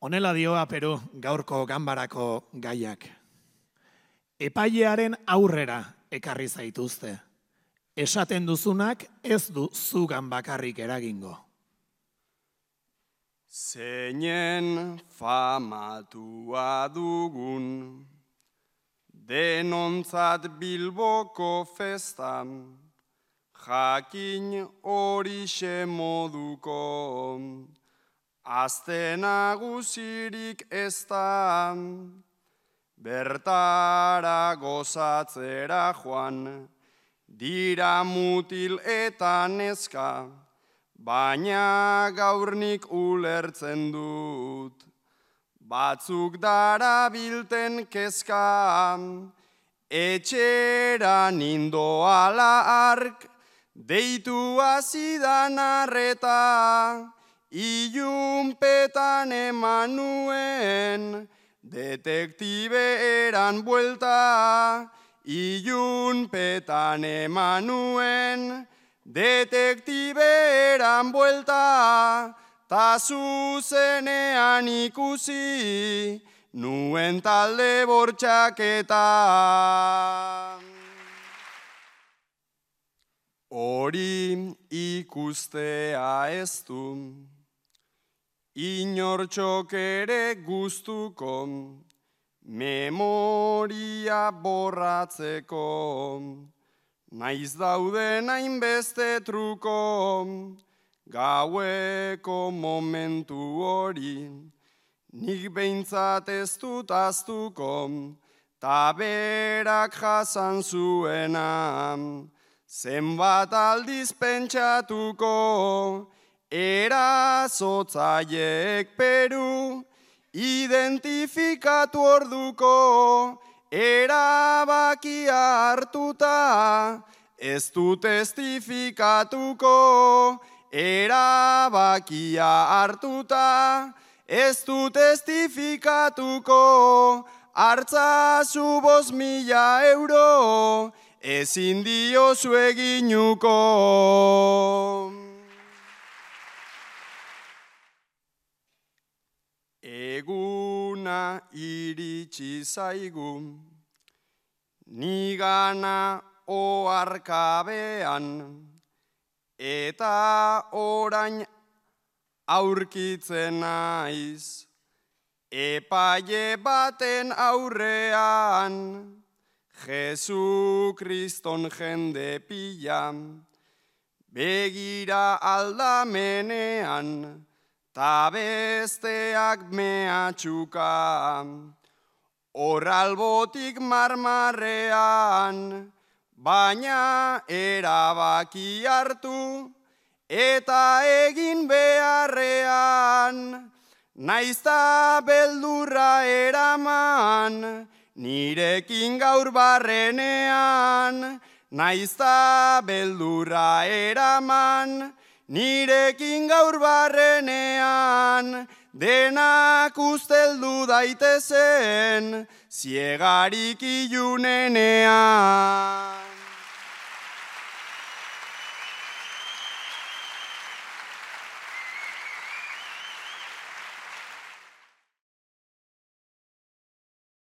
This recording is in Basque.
Honela dioa Peru gaurko ganbarako gaiak. Epailearen aurrera ekarri zaituzte. Esaten duzunak ez du zugan bakarrik eragingo. Zeinen famatua dugun, denontzat Bilboko festan, jakin horixe moduko, azte nagusirik ez da, bertara gozatzera joan, dira mutil eta neska, baina gaurnik ulertzen dut. Batzuk darabilten kezka, etxera nindoala ark, deitu azidan arreta, ilunpetan eman nuen, detektibe eran buelta, ilunpetan eman nuen, detektibe eran buelta, ta zuzenean ikusi, nuen talde bortxaketa. Hori ikustea ez du, inortxok ere gustuko, memoria borratzeko, naiz dauden hainbeste truko, gaueko momentu hori, nik behintzat ez dut aztuko, ta berak jasan zuena, zenbat aldiz pentsatuko, erazotzaileek Peru, identifikatu orduko, erabakia hartuta, ez du testifikatuko, erabakia hartuta, ez du testifikatuko, hartzazu 5.000 euro, ezin diozu eginuko. Eguna iritsi zaigu, nigana oharkabean, eta orain aurkitzen naiz, epaile baten aurrean, Jesu Kriston jende pila, begira aldamenean, ta besteak mehatxuka, hor albotik marmarrean, baina erabaki hartu, eta egin beharrean, naizta beldurra eraman, nirekin gaur barrenean, naizta beldurra eraman, nirekin gaur barrenean, denak usteldu daitezen, ziegarik ilunenean.